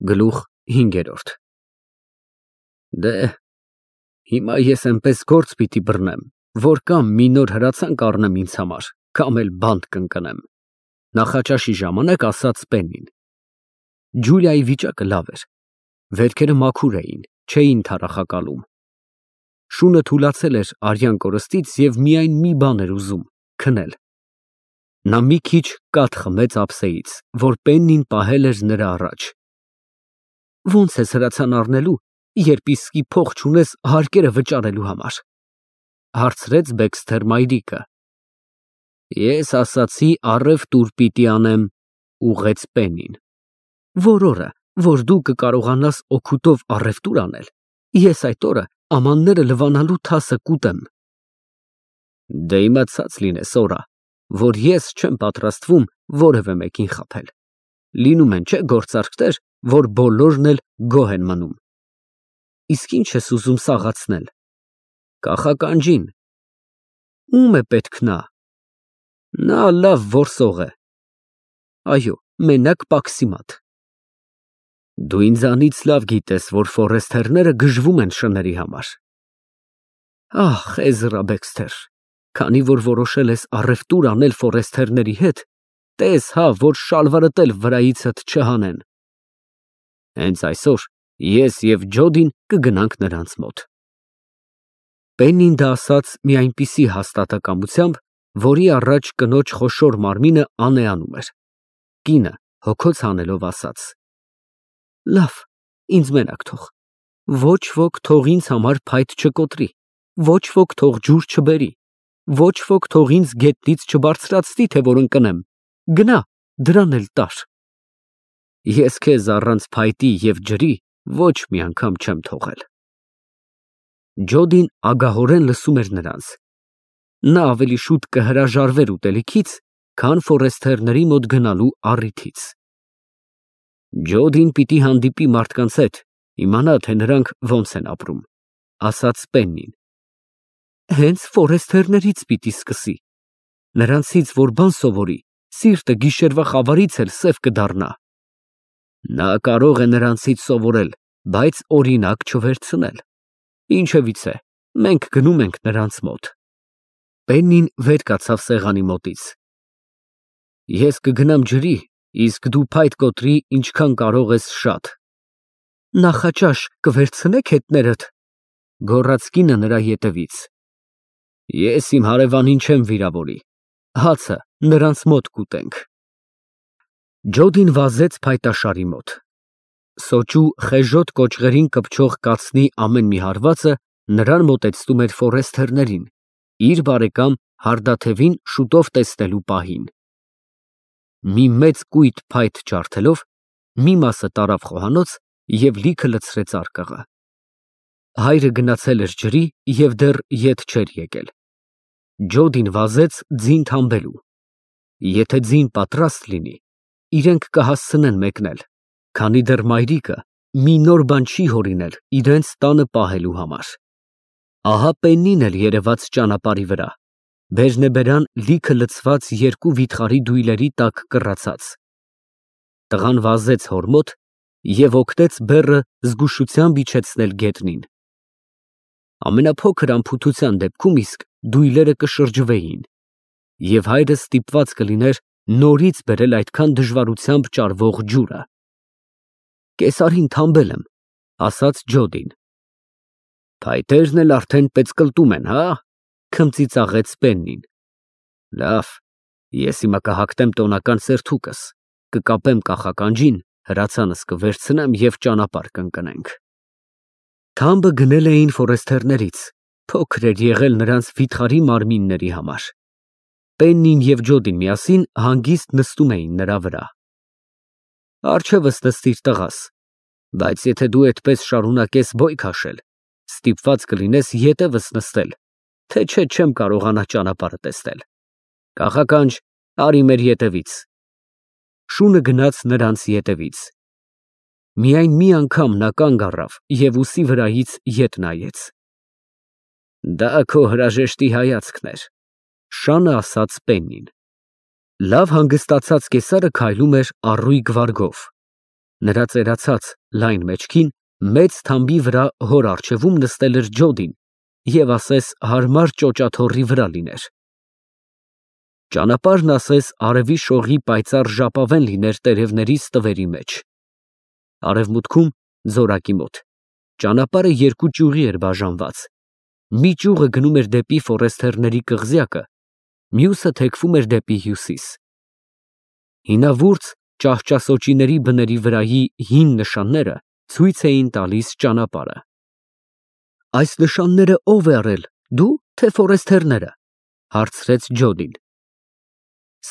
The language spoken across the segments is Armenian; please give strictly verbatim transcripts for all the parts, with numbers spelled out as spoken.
Գլուխ հինգերորդ Դե, հիմա ես էնպես գործ պիտի բռնեմ, որ կամ մի նոր հրացանք առնեմ ինձ համար, կամ էլ բանտ կընկնեմ, նախաճաշի ժամանակ ասաց Պեննին։ Ջուլիայի վիճակը լավ էր, վերքերը մաքուր էին, չէին թարախակալում։ Շունը թուլացել էր արյան կորստից և միայն մի բան էր ուզում՝ քնել։ Նա մի քիչ կաթ խմեց ափսեից, որ Պեննին պահել էր նրա առաջ։ Ո՞նց ես հրացան առնելու, երբ իսկի փող չունես հարկերը վճարելու համար, հարցրեց Բեքսթեր մայրիկը։ Ես ասացի առևտուր պիտի անեմ, ուղղեց Պեննին։ Որ օրը, որ դու կկարողանաս օգուտով առևտուր անել, ես այդ օրը ամանները լվանալու թասը կուտեմ։ Դե իմացած լինես, օրա, որ ես չեմ պատրաստվում որևէ մեկին խաբել։ Լինում են, չէ՞, գործարքներ, որ բոլորն էլ գոհ են մնում։ Իսկ ի՞նչ ես ուզում սաղացնել։ Կախականջին։ Ո՞ւմ է պետք նա։ Նա լավ որսող է։ Այո, մենակ Պաքսիմատ։ Դու ինձանից լավ գիտես, որ ֆորեստերները գժվում են շների համար։ Ահ, Էզրա Բեքսթեր, քանի որ որոշել ես առևտուր անել ֆորեստերների հետ, տես հա, որ շալվարդ էլ վրայիցդ չհանեն։ Հենց այսօր ես և Ջոդին կգնանք նրանց մոտ։ Պեննին դա ասաց մի այնպիսի հաստատակամությամբ, որի առաջ կնոջ խոշոր մարմինը անեանում էր։ Կինը հոգոց հանելով ասաց. Լավ, ինձ մենակ թող, ոչ ոք թող ինձ համար փայտ չկոտրի, ոչ ոք թող ջուր չբերի, ոչ ոք թող ինձ գետնից չբարձրացնի, թե որ ընկնեմ, գնա, դրան էլ տար։ Ես քեզ առանց փայտի և ջրի ոչ մի անգամ չեմ թողել։ Ջոդին ագահորեն լսում էր նրանց։ Նա ավելի շուտ կհրաժարվեր ուտելիքից, քան ֆորեստերների մոտ գնալու առիթից։ Ջոդին պիտի հանդիպի մարդկանց հետ, իմանա, թե նրանք ոնց են ապրում, ասաց Պեննին։ Հենց ֆորեստերներից պիտի սկսի։ Նրանցից որ բան սովորի, սիրտը գիշերվա խավարից էլ սև կդառնա։ Նա կարող է նրանցից սովորել, բայց օրինակ չվերցնել։ Ինչևից է, մենք գնում ենք նրանց մոտ։ Պեննին վեր կացավ սեղանի մոտից։ Ես կգնամ ջրի, իսկ դու փայտ կոտրի ինչքան կարող ես շատ։ Նախաճաշ կվերցնե՞ք հետներդ, գոռաց կինը նրա ետևից։ Ես իմ հարևանին չեմ վիրավորի, հացը նրանց մոտ կուտենք։ Ջոդին վազեց փայտաշարի մոտ։ Սոճու խեժոտ կոճղերին կպչող կացնի ամեն մի հարվածը նրան մոտեցնում էր ֆորեստերներին, իր բարեկամ Հարդաթևին շուտով տեսնելու պահին։ Մի մեծ կույտ փայտ ջարդելով, մի մասը տարավ խոհանոց և լիքը լցրեց արկղը։ Հայրը գնացել էր ջրի և դեռ ետ չէր եկել։ Ջոդին վազեց ձին թամբելու։ Եթե ձին պատրաստ լինի, իրենք կհասցնեն մեկնել, քանի դեռ մայրիկը մի նոր բան չի հորինել իրենց տանը պահելու համար։ Ահա Պեննին էլ երևաց ճանապարհի վրա, բերնեբերան լիքը լցված երկու վիթխարի դույլերի տակ կռացած։ Տղան վազեց հոր մոտ և օգնեց բեռը զգուշությամբ իջեցնել գետնին։ Ամենափոքր անփութության դեպքում իսկ դույլերը կշրջվեին, և հայրը ստիպված կլիներ նորից բերել այդքան դժվարությամբ ճարվող ջուրը։ Կեսարին թամբել եմ, ասաց Ջոդին։ Փայտերն էլ արդեն պեծկլտում են, հա, քմծիծաղեց Պեննին։ Լավ, ես հիմա կհագնեմ տոնական սերթուկս, կկապեմ կախականջին, հրացանս կվերցնեմ և ճանապարհ կընկնենք։ Թամբը գնել էին ֆորեստերներից, փոքր էր եղել նրանց վիթխարի մարմինների համար։ Պեննին և Ջոդին միասին հանգիստ նստում էին նրա վրա։ Առջևս նստիր տղաս, բայց եթե դու այդպես շարունակես բոյ քաշել, ստիպված կլինես ետևս նստել, թե չէ չեմ կարողանա ճանապարհը տեսնել։ Կախականջ, արի մեր ետևից։ Շունը գնաց նրանց ետևից։ Միայն մի անգամ նա կանգ առավ և ուսի վրայից ետ նայեց։ Դա քո հրաժեշտի հայացքն էր, շանը ասաց Պեննին։ Լավ հանգստացած կեսարը քայլում էր առույգ վարգով։ Նրա ծերացած լայն մեջքին մեծ թամբի վրա հոր առջևում նստել էր Ջոդին և ասես հարմար ճոճաթոռի վրա լիներ։ Ճանապարհն ասես արևի շողի պայծառ ժապավեն լիներ տերևների ստվերի մեջ։ Արևմուտքում, ձորակի մոտ, ճանապարհը երկու ճյուղի էր բաժանված. մի ճյուղը գնում էր դեպի Ֆորեսթերների կղզյակը, մյուսը թեքվում էր դեպի հյուսիս։ Հինավուրց ճահճասոճիների բների վրայի հին նշանները ցույց էին տալիս ճանապարհը։ Այս նշանները ո՞վ է արել, դու, թե Ֆորեսթերները, հարցրեց Ջոդին։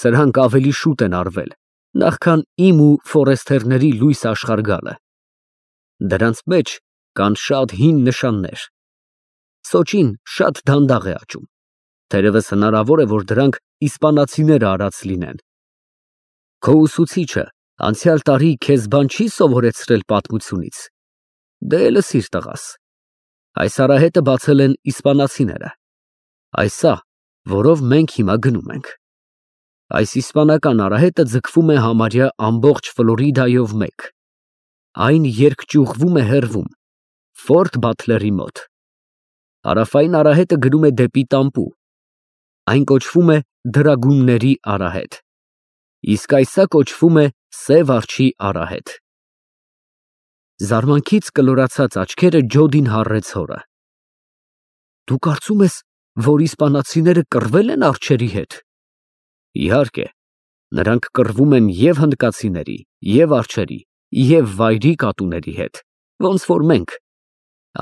Սրանք ավելի շուտ են արվել, նախքան իմ ու Ֆորեսթերների լույս աշխարհ գալը։ Դրանց մեջ կան շատ հին նշաններ։ Սոճին շատ դանդաղ է աճում, թերևս հնարավոր է, որ դրանք իսպանացիները արած լինեն։ Քո ուսուցիչը անցյալ տարի քեզ բան չի սովորեցրել պատմությունից։ Դե լսիր, տղաս, այս արահետը բացել են իսպանացիները, այս սա, որով մենք հիմա գնում ենք։ Այս իսպանական արահետը ձգվում է համարյա ամբողջ Ֆլորիդայով մեկ։ Այն երկճյուղվում է հեռվում, Ֆորտ Բաթլերի մոտ։ Հարավային արահետը գնում է դեպի Տամպու, այն կոչվում է Դրագունների արահետ, իսկ այսա կոչվում է Սև արջի արահետ։ Զարմանքից կլորացած աչքերը Ջոդին հառեց հորը։ Դու կարծում ես, որ իսպանացիները կռվել են արջերի հետ։ Իհարկե, նրանք կռվում են և հնդկացիների, և արջերի, և վայրի կատուների հետ, ոնց որ մենք։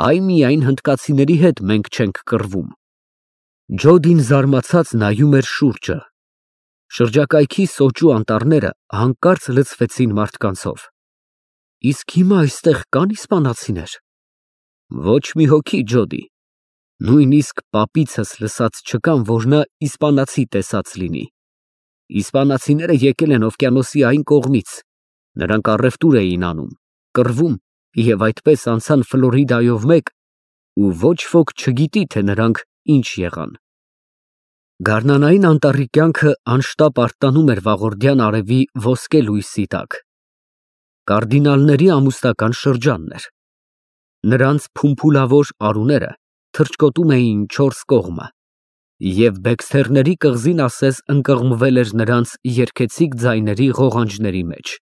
Այ միայն հնդկացիների հետ մենք չենք կռվում։ Ջոդին զարմացած նայում էր շուրջը։ Շրջակայքի սոճու անտառները հանկարծ լցվեցին մարդկանցով։ Իսկ հիմա այստեղ կան իսպանացիներ։ Ոչ մի հոգի, Ջոդի, նույնիսկ պապիցս լսած չկամ, որ նա իսպանացի տեսած լինի։ Իսպանացիները եկել են օվկիանոսի այն կողմից, նրանք առևտուր էին անում, կռվում և այդպես անցան Ֆլորիդայով մեկ, ու ոչ ոք չգիտի, թե նրանք ինչ եղան։ Գարնանային անտառի կյանքը անշտապ արթնանում էր վաղորդյան արևի ոսկե լույսի տակ։ Կարդինալների ամուսնական շրջանն էր։ Նրանց փումփուլավոր արուները թռչկոտում էին չորս կողմը, և Բեքսթերների կղզին ասես ընկղմվել էր նրանց երգեցիկ ձայների ղողանջների մեջ։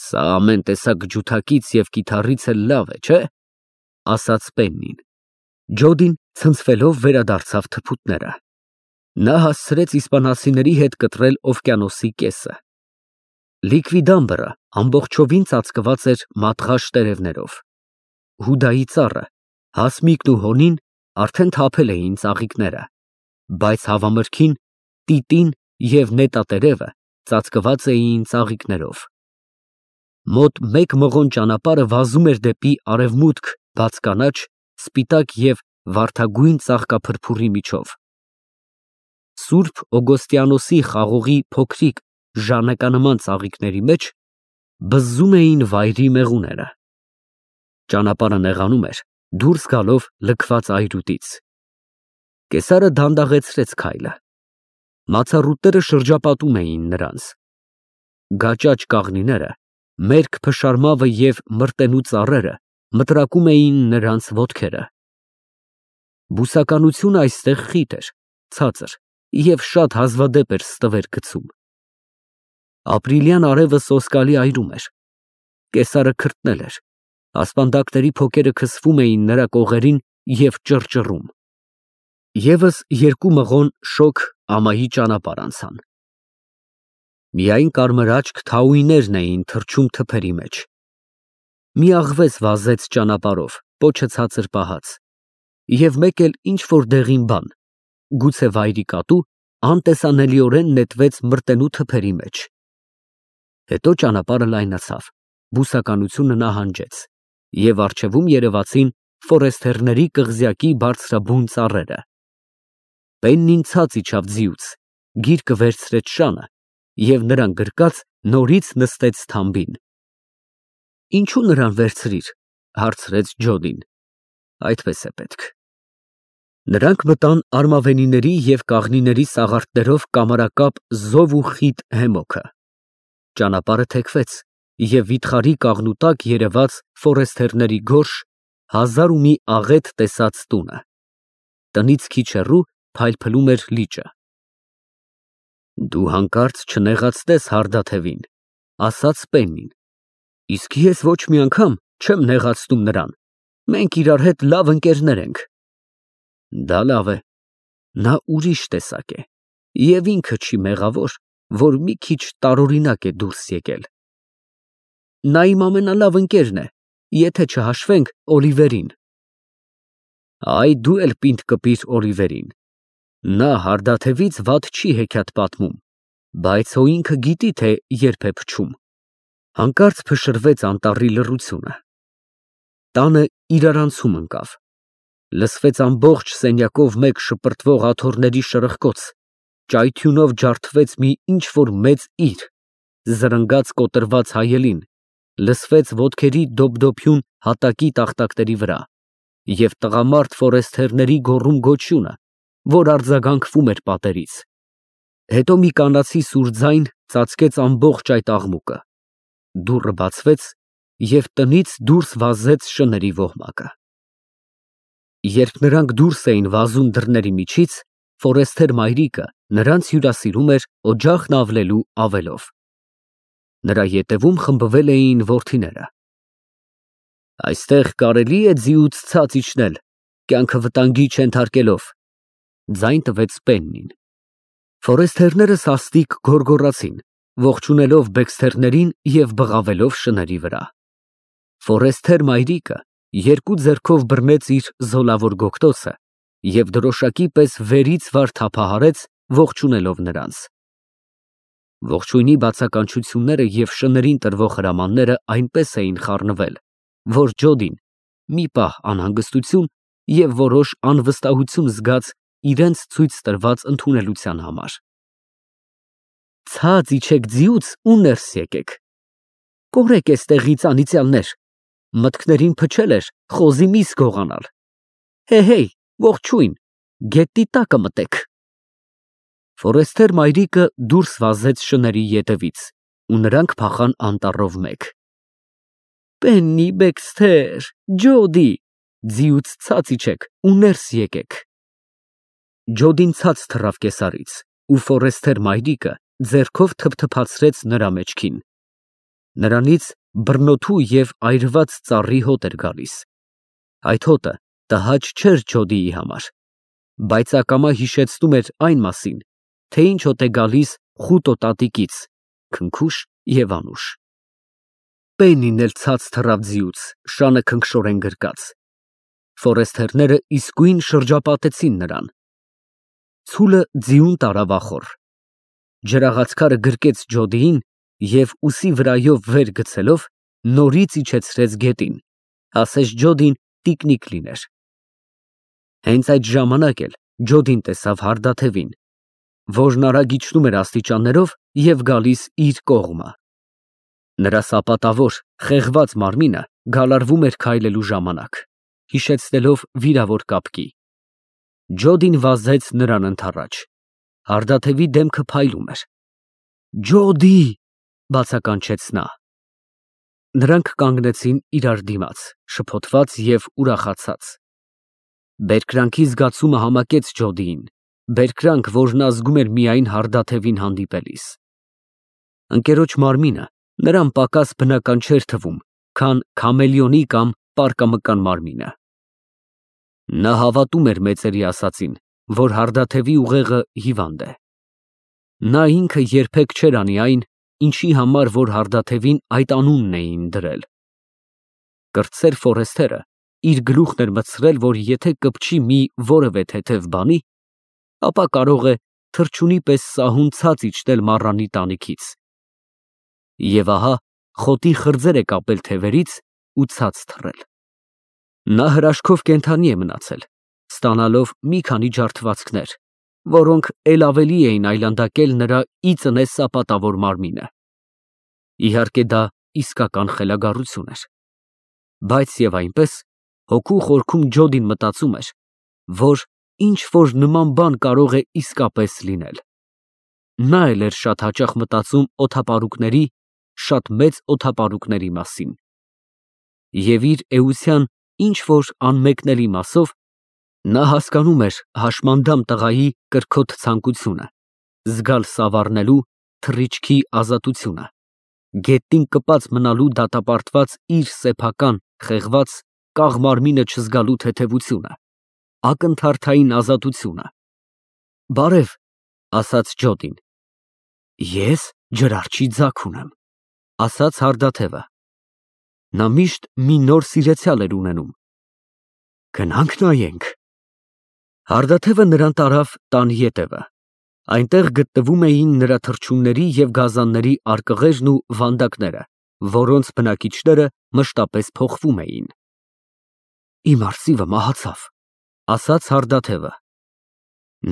Սա ամեն տեսակ ջութակից և կիթառից էլ լավ է, չէ՞, ասաց Պեննին։ Ջոդին ցնցվելով վերադարձավ թփուտները։ Նա հասցրեց իսպանացիների հետ կտրել օվկիանոսի կեսը։ Լիկվիդամբրը ամբողջովին ծածկված էր մատղաշ տերևներով։ Հուդայի ծառը, հասմիկն ու հոնին արդեն թափել էին ծաղիկները, բայց հավամրգին, տիտին և նետատերևը ծածկված էին ծաղիկներով։ Մոտ մեկ մղոն ճանապարհը վազում էր դեպի արևմուտք բաց կանաչ, սպիտակ և վարդագույն ծաղկափրփուրի միջով։ Սուրբ Օգոստիանոսի խաղողի փոքրիկ ժանեկանման ծաղիկների մեջ բզզում էին վայրի մեղուները։ Ճանապարհը նեղանում էր, դուրս գալով լքված այրուտից։ Կեսարը դանդաղեցրեց քայլը։ Մացառուտները շրջապատում էին նրանց։ Գաճաճ կաղնիները, մերկ փշարմավը և մրտենու ծառերը մտրակում էին նրանց ոտքերը։ Բուսականությունը այստեղ խիտ էր, ցածր և շատ հազվադեպ էր ստվեր գցում։ Ապրիլյան արևը սոսկալի այրում էր։ Կեսարը քրտնել էր, ասպանդակների փոքերը քսվում էին նրա կողերին և ճռճռում։ Եվս երկու մղոն շոգ ամայի ճանապարհ անցան։ Միայն կարմրաճք թաուիներն էին թռչում թփերի մեջ։ Մի աղվես վազեց ճանապարհով, պոչը ցածր պահած, և մեկ էլ ինչ֊որ դեղին բան, գուցե վայրի կատու, անտեսանելիորեն նետվեց մրտենու թփերի մեջ։ Հետո ճանապարհը լայնացավ, բուսականությունը նահանջեց, և առջևում երևացին Ֆորեսթերների կղզյակի բարձրաբուն ծառերը։ Պեննին ցած իջավ ձիուց, գիրկը վերցրեց շանը և նրան գրկած նորից նստեց թամբին։ Ինչո՞ւ նրան վերցրիր, հարցրեց Ջոդին։ Այդպես է պետք։ Նրանք մտան արմավենիների և կաղնիների սաղարթներով կամարակապ զով ու խիտ հեմոքը։ Ճանապարհը թեքվեց, և վիթխարի կաղնու տակ երևաց Ֆորեսթերների գորշ, հազար ու մի աղետ տեսած տունը, տնից քիչ հեռու փայլփլում էր լիճը։ Դու հանկարծ չնեղացնես Հարդաթևին, ասաց Պեննին, իսկ ես ոչ մի անգամ չեմ նեղացնում նրան, մենք իրար հետ լավ ընկերներ ենք։ Դա լավ է, նա ուրիշ տեսակ է և ինքը չի մեղավոր, որ մի քիչ տարօրինակ է դուրս եկել։ Նա իմ ամենալավ ընկերն է, եթե չհաշվենք Օլիվերին։ Այ դու էլ պինդ կպիր Օլիվերին, նա Հարդաթևից վատ չի հեքիաթ պատմում, բայց հո ինքը գիտի, թե երբ է փչում։ Հանկարծ փշրվեց անտառի լռությունը։ Տանը իրարանցում ընկավ։ Լսվեց ամբողջ սենյակով մեկ շպրտվող աթոռների շրխկոց, ճայթյունով ջարդվեց մի ինչ֊որ մեծ իր, զրնգաց կոտրված հայելին, լսվեց ոտքերի դոփդոփյուն հատակի տախտակների վրա և տղամարդ Ֆորեսթերների գոռում֊գոչյունը, որ արձագանքվում էր պատերից։ Հետո մի կանացի սուր ձայն ծածկեց ամբողջ այդ աղմուկը, դուռը բացվեց և տնից դուրս վազեց շների ոհմակը։ Երբ նրանք դուրս էին վազում դռների միջից, Ֆորեսթեր մայրիկը նրանց հյուրասիրում էր օջախն ավլելու ավելով։ Նրա ետևում խմբվել էին որդիները։ Այստեղ կարելի է ձիուց ցած իջնել, կյանքը վտանգի չենթարկելով, ձայն տվեց Պեննին։ Ֆորեսթերները սաստիկ գոռգոռացին, ողջունելով բեքսթերներին և բղավելով շների վրա։ Ֆորեսթեր մայրիկը երկու ձեռքով բռնեց իր զոլավոր գոգտոցը և դրոշակի պես վերից վար թափահարեց, ողջունելով նրանց։ Ողջույնի բացականչությունները և շներին տրվող հրամանները այնպես էին խառնվել, որ Ջոդին մի պահ անհանգստություն և որոշ անվստահություն զգաց իրենց ցույց տրված ընդունելության համար։ Ցած իջեք ձիուց ու ներս եկեք, կորեք էստեղից անիծյալներ, մտքներին փչել էր խոզի միս գողանալ, հեյ, ողջույն, գետնի տակը մտեք։ Ֆորեսթեր մայրիկը դուրս վազեց շների ետևից, ու նրանք փախան անտառով մեկ։ Պեննի, Բեքսթեր, Ջոդի, ձիուց ցած իջեք ու ներս եկեք։ Ջոդին ցած թռավ կեսարից, ու Ֆորեսթեր մայրիկը ձեռքով թփթփացրեց նրա մեջքին։ Նրանից բռնոթու և այրված ծառի հոտ էր գալիս։ Այդ հոտը տհաճ չէր Ջոդիի համար, բայց ակամա հիշեցնում էր այն մասին, թե ինչ հոտ է գալիս խուտո տատիկից, քնքուշ և անուշ։ Պեննին էլ ցած թռավ ձիուց, շանը քնքշորեն գրկած։ Ֆորեսթերները իսկույն շրջապատեցին նրան։ Ցուլը ձիուն տարավ ախոռ։ Ջրաղացքարը գրկեց Ջոդիին և ուսի վրայով վեր գցելով նորից իջեցրեց գետին, ասես Ջոդին տիկնիկ լիներ։ Հենց այդ ժամանակ էլ Ջոդին տեսավ Հարդաթևին, որն արագ իջնում էր աստիճաններով և գալիս իր կողմը։ Նրա սապատավոր, խեղված մարմինը գալարվում էր քայլելու ժամանակ, հիշեցնելով վիրավոր կապկի։ Ջոդին վազեց նրան ընդառաջ։ Հարդաթևի դեմքը փայլում էր։ Ջոդի, բացականչեց նա։ Նրանք կանգնեցին իրար դիմաց, շփոթված և ուրախացած։ Բերկրանքի զգացումը համակեց Ջոդիին, բերկրանք, որն ազգում էր միայն Հարդաթևին հանդիպելիս։ Ընկերոջ մարմինը նրան պակաս բնական չէր թվում, քան քամելիոնի կամ պարկամկան մարմինը։ Նա հավատում էր մեծերի ասածին, որ Հարդաթևի ուղեղը հիվանդ է։ Նա ինքը երբեք չէր անի այն, ինչի համար որ Հարդաթևին այդ անունն էին դրել։ Կրտսեր Ֆորեսթերը իր գլուխն էր մտցրել, որ եթե կպչի մի որևէ թեթև բանի, ապա կարող է թռչունի պես սահուն ցած իջնել մառանի տանիքից։ Եվ ահա խոտի խրձեր է կապել թևերից ու ցած թռել։ Նա հրաշքով կենդանի է մնացել, ստանալով մի քանի ջարդվածքներ, որոնք էլ ավելի էին այլանդակել նրա ի ծնե սապատավոր մարմինը։ Իհարկե դա իսկական խելագարություն էր։ Բայց և այնպես, հոգու խորքում Ջոդին մտածում էր, որ ինչ֊որ նման բան կարող է իսկապես լինել։ Նա էլ էր շատ հաճախ մտածում օդապարուկների շատ մեծ օդապարուկների մասին։ Եվ իր էության ինչ-որ անմեկնելի մասով նա հասկանում էր հաշմանդամ տղայի կրքոտ ցանկությունը, զգալ սավառնելու թռիչքի ազատությունը, գետնին կպած մնալու դատապարտված իր սեփական, խեղված, կաղ մարմինը չզգալու թեթևությունը, ակնթարթային ազատությունը։ Բարև, ասաց Ջոդին։ Ես ջրարջի ձագ ունեմ, ասաց հարդաթևը։ Նա միշտ մի նոր սիրեցյալ էր ունենում։ Գնանք նայենք։ Հարդաթևը նրան տարավ տան ետևը։ Այնտեղ գտնվում էին նրա թռչունների և գազանների արկղերն ու վանդակները, որոնց բնակիչները մշտապես փոխվում էին։ Իմ արծիվը մահացավ, ասաց հարդաթևը։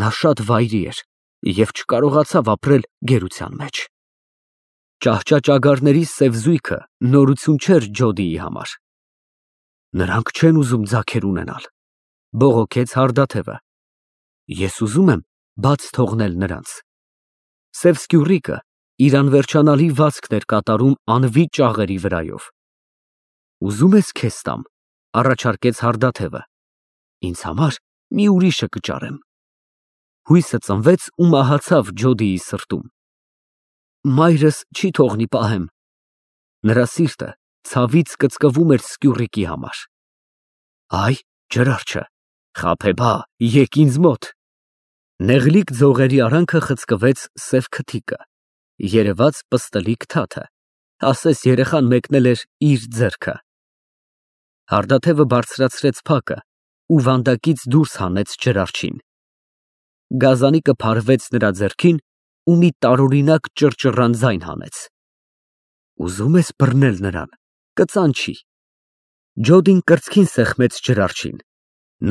Նա շատ վայրի էր և չկարողացավ ապրել գերության մեջ։ Ճահճաճագարների սև զույգը նորություն չէր Ջոդիի համար։ Նրանք չեն ուզում ձագեր ունենալ, բողոքեց հարդաթևը։ Ես ուզում եմ բաց թողնել նրանց։ Սև սկյուռիկը իր անվերջանալի վազքն էր կատարում անվի ճաղերի վրայով։ Ուզում ես քեզ տամ, առաջարկեց հարդաթևը։ Ինձ համար մի ուրիշը կճարեմ։ Հույսը ծնվեց ու մահացավ Ջոդիի սրտում։ Մայրս չի թողնի պահեմ։ Նրա սիրտը ցավից կծկվում էր սկյուռիկի համար։ Այ ջրարջը, խաբեբա, եկ ինձ մոտ։ Նեղլիկ ձողերի արանքը խցկվեց սև քթիկը, երևաց պստլիկ թաթը, ասես երեխան մեկնել էր իր ձեռքը։ Հարդաթևը բարձրացրեց փակը ու վանդակից դուրս հանեց ջրարջին։ Գազանիկը փարվեց նրա ձեռքին ու մի տարօրինակ ճռճռան ձայն հանեց։ Ուզում ես բռնել նրան, կծանչի։ Ջոդին կրծքին սեղմեց ջրարջին։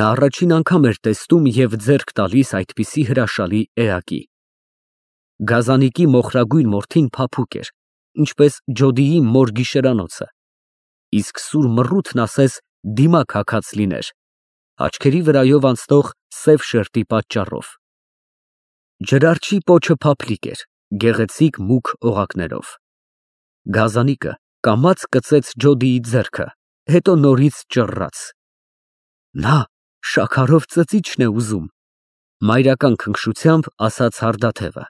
Նա առաջին անգամ էր տեսնում և ձեռք տալիս այդպիսի հրաշալի էակի։ Գազանիկի մոխրագույն մորթին փափուկ էր, ինչպես Ջոդիի մոր գիշերանոցը, իսկ սուր մռութն ասես դիմակ հագած լիներ, աչքերի վրայով անցնող սև շերտի պատճառով։ Ջրարջի պոչը փափլիկ էր, գեղեցիկ մուգ օղակներով։ Գազանիկը կամաց կծեց Ջոդիի ձեռքը, հետո նորից ճռռաց։ Նա շաքարով ծծիչն է ուզում, մայրական քնքշությամբ ասաց հարդաթևը։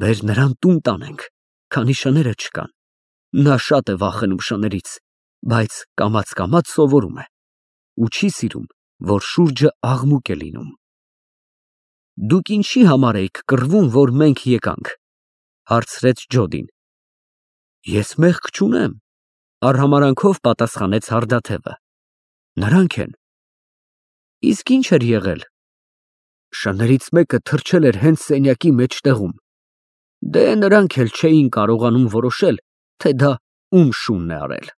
Բեր նրան տուն տանենք, քանի շները չկան։ Նա շատ է վախենում շներից, բայց կամաց֊կամաց սովորում է ու չի սիրում, որ շուրջը աղմուկ է լինում։ Դուք ինչի համար էիք կռվում, որ մենք եկանք, հարցրեց Ջոդին։ Ես մեղք չունեմ, արհամարհանքով պատասխանեց հարդաթևը։ Նրանք են։ Իսկ ինչ էր եղել։ Շներից մեկը թռչել էր հենց սենյակի մեջտեղում։ Դե նրանք էլ չէին կարողանում որոշել, թե դա ում շունն է արել։